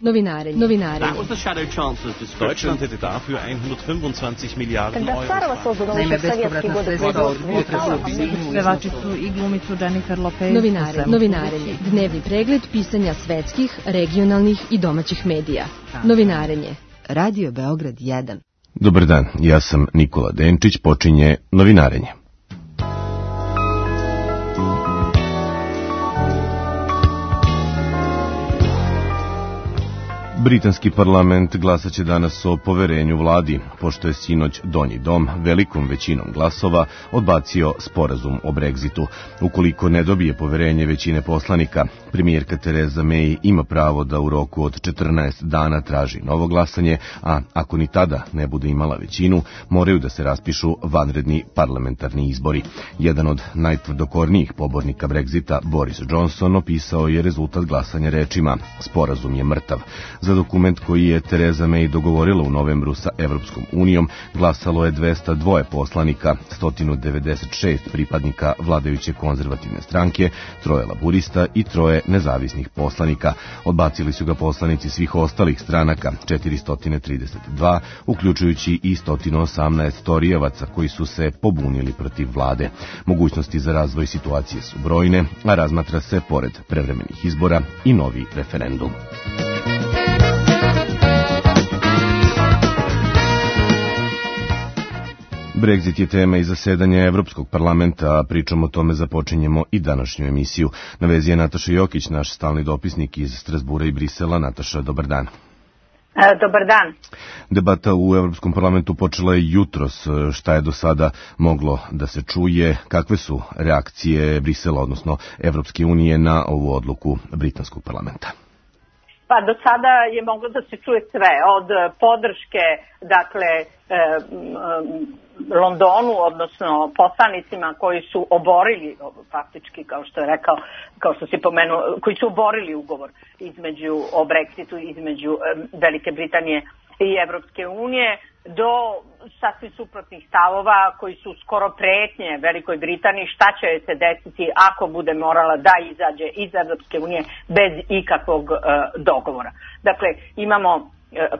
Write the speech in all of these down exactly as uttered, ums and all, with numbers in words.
Novinarenje. Novinarenje. Deutschland hätte dafür hundertfünfundzwanzig Milliarden Euro. Naime, bespovratna sredstva od potresa u Binu. Pevačicu i glumicu Jennifer Lopez. Novinarenje. Novinarenje. Dnevni pregled pisanja svetskih, regionalnih i domaćih medija. Novinarenje. Radio Beograd jedan. Dobar dan, ja sam Nikola Denčić, počinje Novinarenje. Britanski parlament glasaće danas o poverenju vladi, pošto je sinoć Donji dom velikom većinom glasova odbacio sporazum o Brexitu. Ukoliko ne dobije poverenje većine poslanika, premijerka Tereza May ima pravo da u roku od četrnaest dana traži novo glasanje, a ako ni tada ne bude imala većinu, moraju da se raspišu vanredni parlamentarni izbori. Jedan od najtvrdokornijih pobornika Brexita, Boris Johnson, opisao je rezultat glasanja rečima: sporazum je mrtav. Za dokument koji je Tereza May dogovorila u novembru sa Evropskom unijom glasalo je dvesta dva poslanika, sto devedeset šest pripadnika vladajuće konzervativne stranke, troje laburista i troje nezavisnih poslanika. Odbacili su ga poslanici svih ostalih stranaka, četiristo trideset dva, uključujući i sto osamnaest torijevaca koji su se pobunili protiv vlade. Mogućnosti za razvoj situacije su brojne, a razmatra se, pored prevremenih izbora, i novi referendum. Brexit je tema i zasedanja Evropskog parlamenta, a pričom o tome započinjemo i današnju emisiju. Na vezi je Nataša Jokić, naš stalni dopisnik iz Strasbura i Brisela. Nataša, dobar dan. Dobar dan. Debata u Evropskom parlamentu počela je jutros. Šta je do sada moglo da se čuje? Kakve su reakcije Brisela, odnosno Evropske unije, na ovu odluku Britanskog parlamenta? Pa do sada je moglo da se čuje sve, od podrške, dakle, e, Londonu, odnosno poslanicima koji su oborili, faktički, kao što je rekao, kao što si pomenuo, koji su oborili ugovor između, o Brexitu između Velike Britanije i Evropske unije, do sasvim suprotnih stavova koji su skoro pretnje Velikoj Britaniji šta će se desiti ako bude morala da izađe iz Evropske unije bez ikakvog uh, dogovora. Dakle, imamo uh,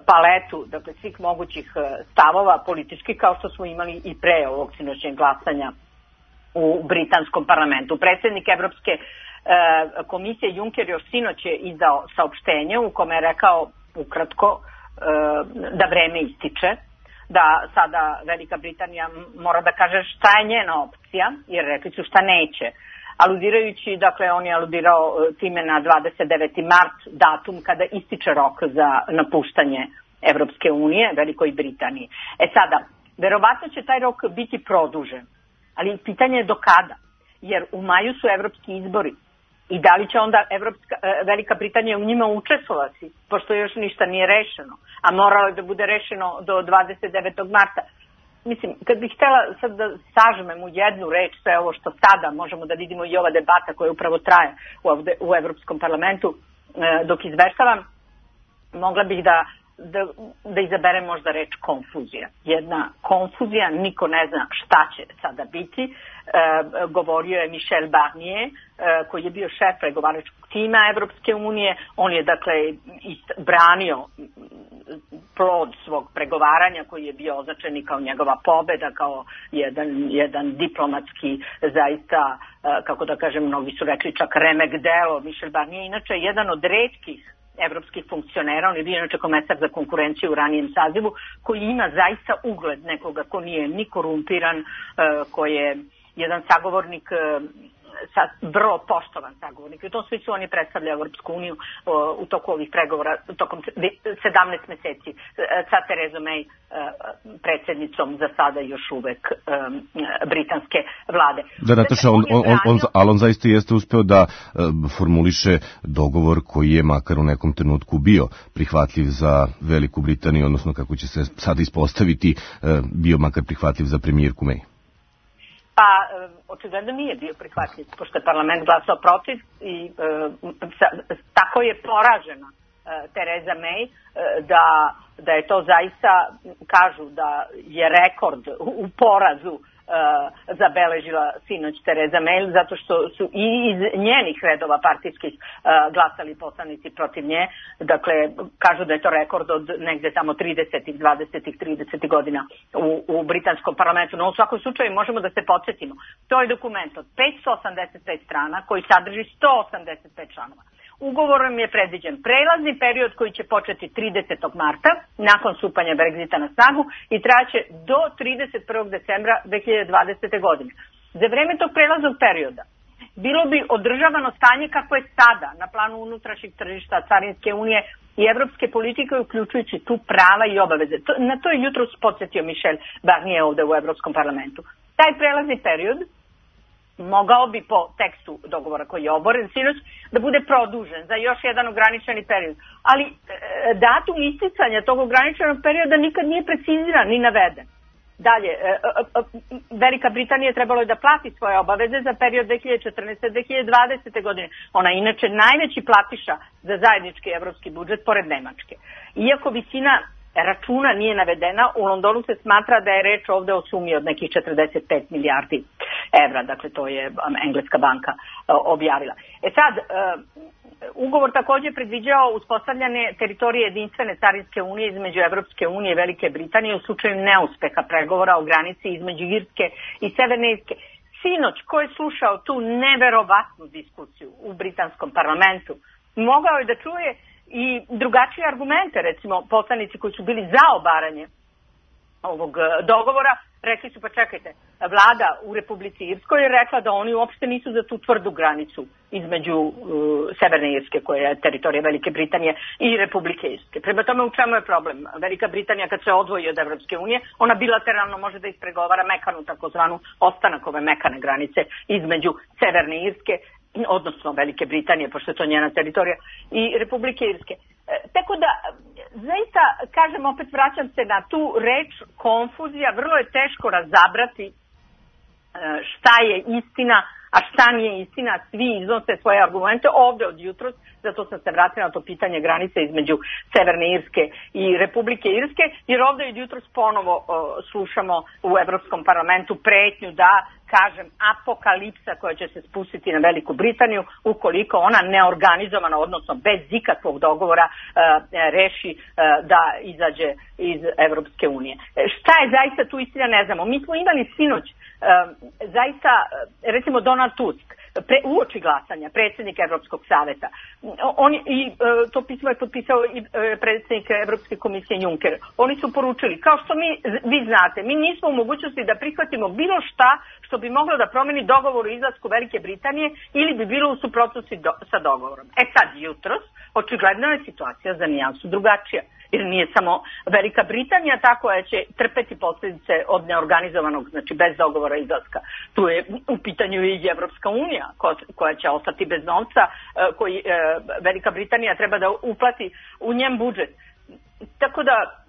paletu, dakle, svih mogućih uh, stavova politički, kao što smo imali i pre ovog sinoćnjeg glasanja u britanskom parlamentu. Predsjednik Evropske uh, komisije Juncker još sinoć je izdao saopštenje u kome je rekao ukratko uh, da vreme ističe, da sada Velika Britanija mora da kaže šta je njena opcija, jer rekli su šta neće. Aludirajući, dakle, on je aludirao time na dvadeset deveti mart, datum kada ističe rok za napuštanje Evropske unije, Velikoj Britaniji. E sada, verovatno će taj rok biti produžen, ali pitanje je do kada, jer u maju su evropski izbori. I da li će onda Evropska, Velika Britanija u njima učestvovati, pošto još ništa nije rešeno, a moralo je da bude rešeno do dvadeset devetog marta. Mislim, kad bih htjela sad da sažmem u jednu reč sve ovo što sada možemo da vidimo i ova debata koja upravo traje ovde u Evropskom parlamentu, dok izveštavam, mogla bih da, da, da izaberem možda reč konfuzija. Jedna konfuzija, niko ne zna šta će sada biti. E, govorio je Michel Barnier, e, koji je bio šef pregovaračkog tima Evropske unije. On je, dakle, ist, branio plod svog pregovaranja koji je bio označen i kao njegova pobeda, kao jedan, jedan diplomatski, zaista, e, kako da kažem, mnogi su rekli čak remek delo. Michel Barnier inače jedan od retkih evropskih funkcionera, on je bio inače komesar za konkurenciju u ranijem sazivu, koji ima zaista ugled nekoga ko nije ni korumpiran, e, ko je jedan sagovornik, sa, vrlo poštovan sagovornik. I u tom smislu on je predstavljao Evropsku uniju o, u toku ovih pregovora, tokom sedamnaest meseci sa Terezom May, predsjednicom za sada još uvek um, britanske vlade. Da, Nataša, on, on, on, on, ali on zaista jeste uspeo da um, formuliše dogovor koji je makar u nekom trenutku bio prihvatljiv za Veliku Britaniju, odnosno kako će se sada ispostaviti, um, bio makar prihvatljiv za premijerku May. Pa, očigledno nije bio prihvatljiv, pošto je parlament glasao protiv i e, sa, tako je poražena e, Tereza May, e, da, da je to zaista, kažu da je rekord u, u porazu e, uh, zabeležila sinoć Tereza May, zato što su i iz njenih redova partijskih uh, glasali poslanici protiv nje. Dakle, kažu da je to rekord od negde tamo tridesetih, dvadesetih, tridesetih godina u, u britanskom parlamentu. No, u svakom slučaju možemo da se podsjetimo. To je dokument od petsto osamdeset pet strana koji sadrži sto osamdeset pet članova. Ugovorom je predviđen prelazni period koji će početi tridesetog marta nakon stupanja Brexita na snagu i trajaće do trideset prvog decembra dve hiljade dvadesete. godine. Za vreme tog prelaznog perioda bilo bi održavano stanje kako je sada na planu unutrašnjeg tržišta, carinske unije i evropske politike, uključujući tu prava i obaveze. To, na to je jutros podsjetio Michel Barnier ovde u Evropskom parlamentu. Taj prelazni period mogao bi po tekstu dogovora koji je oboren sinoć da bude produžen za još jedan ograničeni period. Ali e, datum isticanja tog ograničenog perioda nikad nije preciziran ni naveden. Dalje, e, e, Velika Britanija trebalo je da plati svoje obaveze za period dve hiljade četrnaeste. do dve hiljade dvadesete. godine. Ona je inače najveći platiša za zajednički evropski budžet pored Nemačke. Iako visina računa nije navedena, u Londonu se smatra da je reč ovde o sumi od nekih četrdeset pet milijardi evra, dakle to je engleska banka objavila. E sad, ugovor takođe predviđao uspostavljanje teritorije jedinstvene carinske unije između Evropske unije i Velike Britanije u slučaju neuspeha pregovora o granici između Irske i Severne Irske. Sinoć, ko je slušao tu neverovatnu diskusiju u britanskom parlamentu, mogao je da čuje i drugačije argumente, recimo poslanici koji su bili za obaranje ovog dogovora, rekli su pa čekajte, vlada u Republici Irskoj je rekla da oni uopšte nisu za tu tvrdu granicu između uh, Severne Irske, koja je teritorija Velike Britanije, i Republike Irske. Prema tome, u čemu je problem? Velika Britanija kad se odvoji od Evropske unije, ona bilateralno može da ispregovara mekanu, takozvanu ostanak ove mekane granice između Severne Irske, odnosno Velike Britanije, pošto je to njena teritorija, i Republike Irske. E, tako da, zaista, kažem, opet vraćam se na tu reč konfuzija, vrlo je teško razabrati e, šta je istina, a šta nije istina, svi iznose svoje argumente ovde od jutros, zato sam se vratila na to pitanje granice između Severne Irske i Republike Irske, jer ovde od jutros ponovo o, slušamo u Evropskom parlamentu pretnju da, kažem, apokalipsa koja će se spustiti na Veliku Britaniju ukoliko ona neorganizovano, odnosno bez ikakvog dogovora, e, reši e, da izađe iz Evropske unije. E, šta je zaista tu istina, ne znamo. Mi smo imali sinoć e, zaista, recimo Donald Tusk, pre, uoči glasanja, predsjednik Evropskog saveta. On, i, e, to pismo je potpisao i e, predsjednik Evropske komisije Juncker. Oni su poručili, kao što mi, vi znate, mi nismo u mogućnosti da prihvatimo bilo šta što bi moglo da promeni dogovor o izlasku Velike Britanije ili bi bilo u suprotnosti do, sa dogovorom. E sad, jutros, očigledno je situacija za nijansu drugačija. Jer nije samo Velika Britanija ta koja će trpeti posljedice od neorganizovanog, znači bez dogovora izlaska. Tu je u pitanju i Evropska unija koja će ostati bez novca, koji Velika Britanija treba da uplati u njen budžet. Tako da,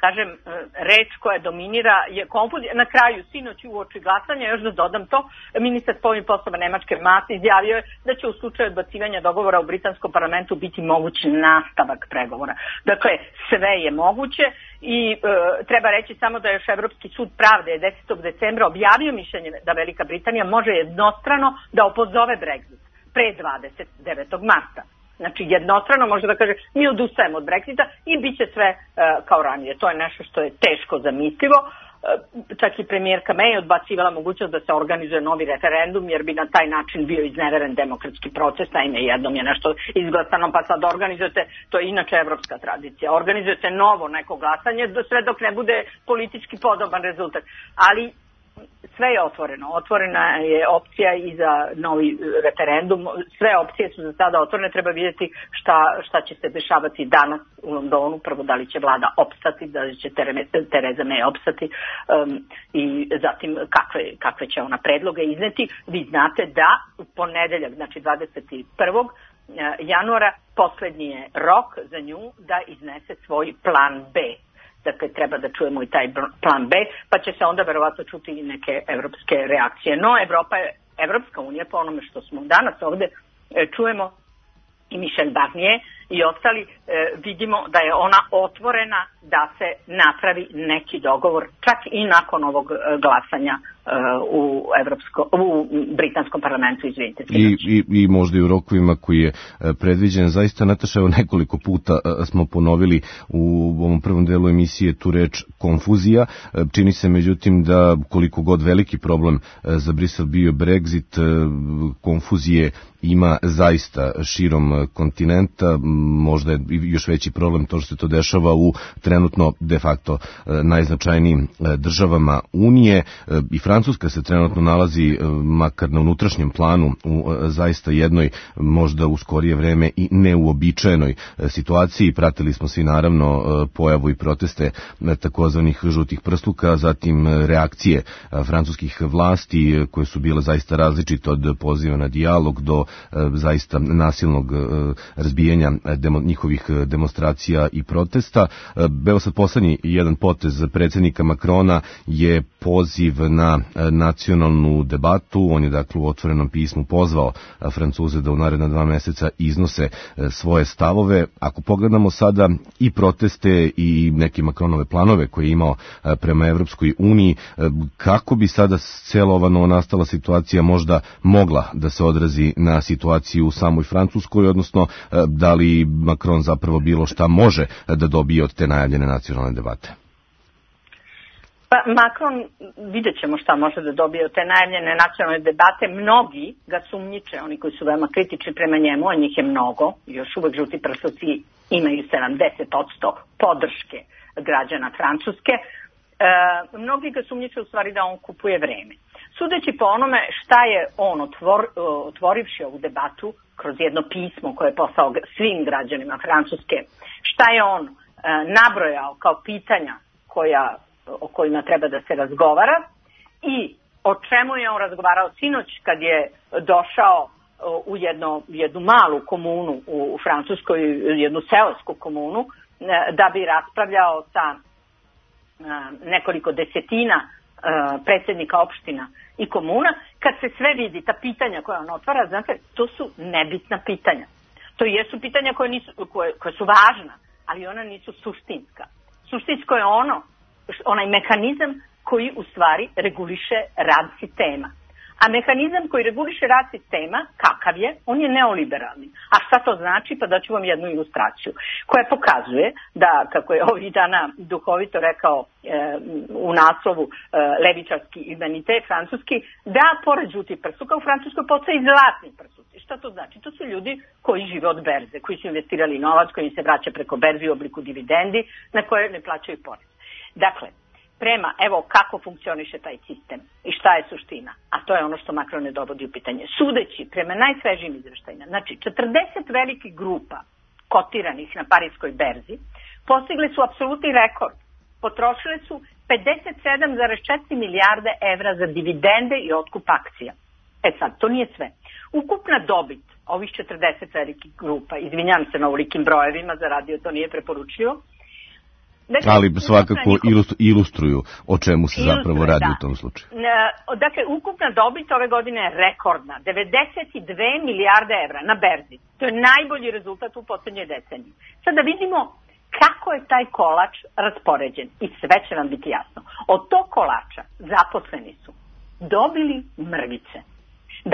kažem, reč koja dominira je konfuzija. Na kraju, sinoć uoči glasanja, još da dodam to, ministar spoljnih poslova Nemačke Maas izjavio je da će u slučaju odbacivanja dogovora u britanskom parlamentu biti moguć nastavak pregovora. Dakle, sve je moguće i e, treba reći samo da još Evropski sud pravde desetog decembra objavio mišljenje da Velika Britanija može jednostrano da opozove Brexit pre dvadeset devetog marta. Znači, jednostrano može da kaže mi odustajemo od Brexita i bit će sve uh, kao ranije. To je nešto što je teško zamislivo. Uh, čak i premijerka May odbacivala mogućnost da se organizuje novi referendum, jer bi na taj način bio izneveren demokratski proces. Naime, jednom je nešto izglasano, pa sad organizujete, to je inače evropska tradicija, organizujete novo neko glasanje, sve dok ne bude politički podoban rezultat. Ali sve je otvoreno. Otvorena je opcija i za novi referendum. Sve opcije su za sada otvorene. Treba vidjeti šta, šta će se dešavati danas u Londonu. Prvo, da li će vlada opstati, da li će Tereza May opstati um, i zatim kakve, kakve će ona predloge izneti. Vi znate da u ponedeljak, znači dvadeset prvog januara, poslednji je rok za nju da iznese svoj plan B. Dakle, treba da čujemo i taj plan B, pa će se onda verovatno čuti i neke evropske reakcije. No, Evropa je, Evropska unija, po onome što smo danas ovde čujemo, i Michel Barnier i ostali, vidimo da je ona otvorena da se napravi neki dogovor, čak i nakon ovog glasanja u, Evropsko, u britanskom parlamentu, izvinite. I, i, I možda i u rokovima koji je predviđen. Zaista, Nataša, evo nekoliko puta smo ponovili u ovom prvom delu emisije tu reč konfuzija. Čini se, međutim, da koliko god veliki problem za Brisel bio Brexit, konfuzije ima zaista širom kontinenta. Možda je još veći problem to što se to dešava u trenutno de facto najznačajnijim državama Unije. I Francuska se trenutno nalazi, makar na unutrašnjem planu, u zaista jednoj, možda u skorije vreme i neuobičajenoj situaciji. Pratili smo svi naravno pojavu i proteste takozvanih žutih prsluka, zatim reakcije francuskih vlasti koje su bile zaista različite, od poziva na dijalog do zaista nasilnog razbijanja demo, njihovih demonstracija i protesta. Evo sad poslednji jedan potez predsjednika Macrona je poziv na nacionalnu debatu. On je dakle u otvorenom pismu pozvao Francuze da u naredna dva meseca iznose svoje stavove. Ako pogledamo sada i proteste i neke Macronove planove koje je imao prema Evropskoj uniji, kako bi sada cijela ova novonastala situacija možda mogla da se odrazi na situaciju u samoj Francuskoj, odnosno da li Macron zapravo bilo šta može da dobije od te najavljene nacionalne debate? Pa Macron, vidjet ćemo šta može da dobije od te najavljene nacionalne debate. Mnogi ga sumnjiče, oni koji su veoma kritični prema njemu, a njih je mnogo, još uvek žuti prsluci imaju sedamdeset posto podrške građana Francuske. E, mnogi ga sumnjiče u stvari da on kupuje vreme. Sudeći po onome šta je on otvor, otvorivši ovu debatu kroz jedno pismo koje je poslao svim građanima Francuske, šta je on e, nabrojao kao pitanja koja, o kojima treba da se razgovara i o čemu je on razgovarao sinoć kad je došao u jedno, jednu malu komunu u Francuskoj, jednu seosku komunu, da bi raspravljao sa nekoliko desetina predsjednika opština i komuna. Kad se sve vidi, ta pitanja koja on otvara, znate, to su nebitna pitanja. To jesu pitanja koje, nisu, koje, koje su važna, ali ona nisu suštinska. Suštinsko je ono, onaj mehanizam koji u stvari reguliše rad sistema. A mehanizam koji reguliše rad sistema, kakav je, on je neoliberalni. A šta to znači? Pa daću vam jednu ilustraciju koja pokazuje da, kako je ovih dana duhovito rekao e, u naslovu e, levičarski humanitet francuski, da pored žutih prsuka u Francuskoj postoje i zlatni prsuci. Šta to znači? To su ljudi koji žive od berze, koji su investirali novac, koji im se vraća preko berze u obliku dividendi, na koje ne plaćaju porez. Dakle, prema, evo kako funkcioniše taj sistem i šta je suština, a to je ono što Macron ne dovodi u pitanje. Sudeći prema najsvežijim izveštajima, znači četrdeset velikih grupa kotiranih na parijskoj berzi postigle su apsolutni rekord. Potrošile su pedeset sedam zarez četiri milijarde evra za dividende i otkup akcija. E sad, to nije sve. Ukupna dobit ovih četrdeset velikih grupa, izvinjam se na ovolikim brojevima, za radio to nije preporučljivo, dakle, ali svakako ilustruju o čemu se zapravo radi da. U tom slučaju. Dakle, ukupna dobit ove godine je rekordna, devedeset dve milijarde evra na berzi. To je najbolji rezultat u poslednjoj deceniji. Sad da vidimo kako je taj kolač raspoređen i sve će nam biti jasno. Od tog kolača zaposleni su dobili mrvice.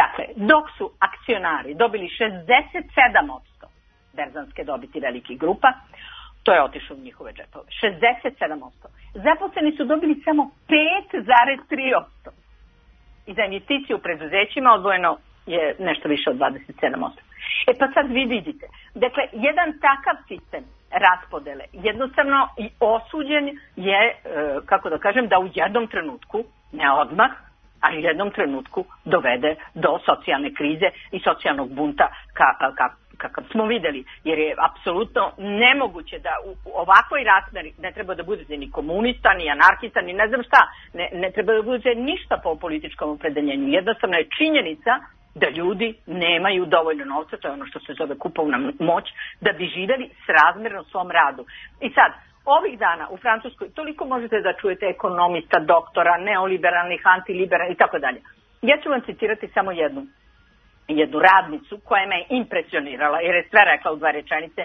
Dakle, dok su akcionari dobili šezdeset sedam posto berzanske dobiti velikih grupa, to je otišlo u njihove džepove. šezdeset sedam posto. Zaposleni su dobili samo pet zarez tri posto. I za investicije u preduzećima odvojeno je nešto više od dvadeset sedam posto. E pa sad vi vidite. Dakle, jedan takav sistem raspodele jednostavno i osuđen je, kako da kažem, da u jednom trenutku, ne odmah, ali u jednom trenutku dovede do socijalne krize i socijalnog bunta ka, ka, kakav smo videli, jer je apsolutno nemoguće da u, u ovakvoj razmeri ne treba da budete ni komunista, ni anarhista, ni ne znam šta, ne, ne treba da budete ništa po političkom opredeljenju. Jednostavno je činjenica da ljudi nemaju dovoljno novca, to je ono što se zove kupovna moć, da bi živjeli srazmjerno svom radu. I sad, ovih dana u Francuskoj toliko možete da čujete ekonomista, doktora, neoliberalnih, antiliberalnih i tako dalje. Ja ću vam citirati samo jednu. jednu radnicu koja me je impresionirala jer je sve rekla u dva rečenice,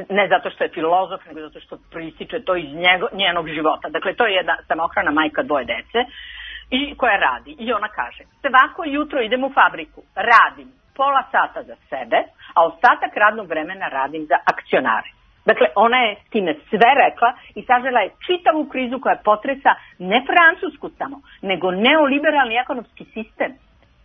ne zato što je filozof, nego zato što proističe to iz njego, njenog života. Dakle, to je jedna samohrana majka dvoje dece i koja radi. I ona kaže, svako jutro idem u fabriku, radim pola sata za sebe, a ostatak radnog vremena radim za akcionare. Dakle, ona je time sve rekla i sažela je čitavu krizu koja potresa ne Francusku samo, nego neoliberalni ekonomski sistem.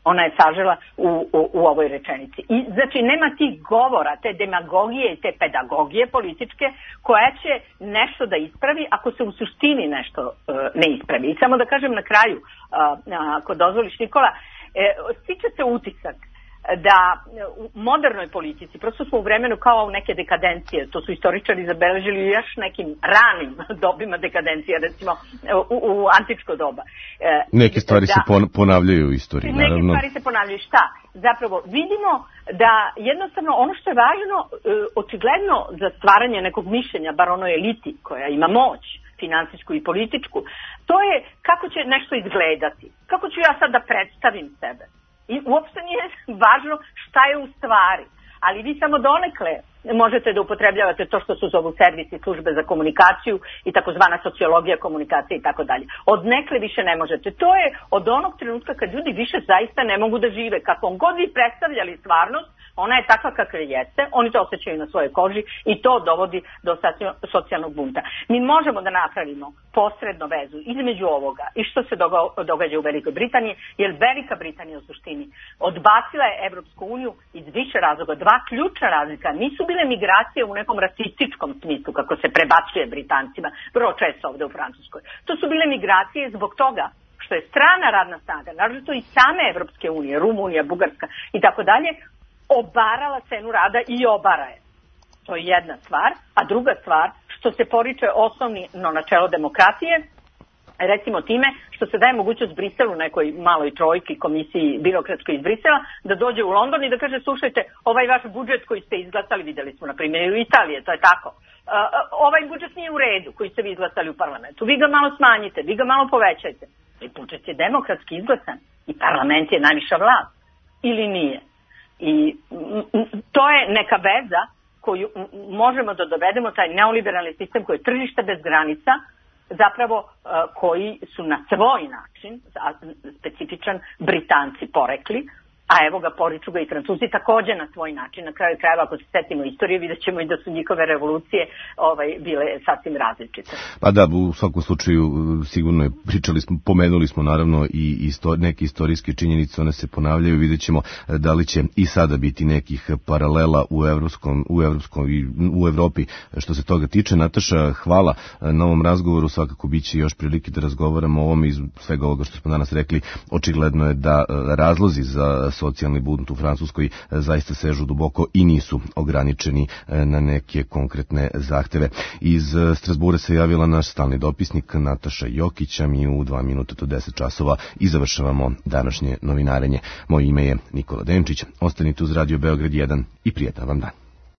Ona je sažela u, u, u ovoj rečenici. I znači nema tih govora, te demagogije i te pedagogije političke koja će nešto da ispravi ako se u suštini nešto uh, ne ispravi. I samo da kažem na kraju, uh, ako dozvoliš Nikola, uh, stiče se utisak da u modernoj politici, prosto smo u vremenu kao u neke dekadencije, to su istoričari zabeležili još nekim ranim dobima dekadencije, recimo u, u antičko doba. Neke stvari da, se ponavljaju u istoriji, naravno. Neke stvari se ponavljaju. Šta? Zapravo vidimo da jednostavno ono što je važno, očigledno za stvaranje nekog mišljenja, bar onoj eliti koja ima moć, finansijsku i političku, to je kako će nešto izgledati. Kako ću ja sad da predstavim sebe. I uopšte nije važno šta je u stvari, ali vi samo donekle možete da upotrebljavate to što su zovu servisi, službe za komunikaciju i takozvana sociologija komunikacije i tako dalje. Od nekle više ne možete. To je od onog trenutka kad ljudi više zaista ne mogu da žive. Kako god vi predstavljali stvarnost, ona je takva kakva jeste, oni to osjećaju na svojoj koži i to dovodi do socijalnog bunta. Mi možemo da napravimo posredno vezu između ovoga i što se događa u Velikoj Britaniji, jer Velika Britanija u suštini odbacila je Evropsku uniju iz više razloga. Dva ključna razlika. Nisu bile migracije u nekom rasističkom smislu, kako se prebacuje Britancima, vrlo često ovde u Francuskoj. To su bile migracije zbog toga što je strana radna snaga, naročito i same Evropske unije, Rumunija, Bugarska i tako dalje, obarala cenu rada i obara je. To je jedna stvar. A druga stvar, što se poriče osnovno načelo demokratije, recimo time što se daje mogućnost Briselu, nekoj maloj trojki, komisiji birokratskoj iz Brisela, da dođe u London i da kaže, slušajte, ovaj vaš budžet koji ste izglasali, videli smo na primjer u Italije, to je tako, uh, ovaj budžet nije u redu koji ste vi izglasali u parlamentu, vi ga malo smanjite, vi ga malo povećajte. I budžet je demokratski izglasan i parlament je najviša vlast. Ili nije? I to je neka veza koju možemo da dovedemo, taj neoliberalni sistem koji je tržište bez granica, zapravo koji su na svoj način, specifičan, Britanci porekli, a evo ga poriču ga i Francuzi takođe na svoj način. Na kraju krajeva, ako se setimo istorije, vidjet ćemo i da su njihove revolucije ovaj, bile sasvim različite. Pa da, u svakom slučaju sigurno je, pričali smo, pomenuli smo naravno i isto, neke istorijske činjenice, one se ponavljaju, vidjet ćemo da li će i sada biti nekih paralela u evropskom, u evropskom i u Evropi što se toga tiče. Nataša, hvala na ovom razgovoru, svakako bit će još prilike da razgovaramo o ovom iz svega ovoga što smo danas rekli. Očigledno je da razlozi za socijalni bunt u Francuskoj zaista sežu duboko i nisu ograničeni na neke konkretne zahteve. Iz Strasbura se javila naš stalni dopisnik Nataša Jokić, a mi u dva minuta do deset časova i završavamo današnje novinarenje. Moje ime je Nikola Denčić. Ostanite uz Radio Beograd jedan i prijetan vam dan.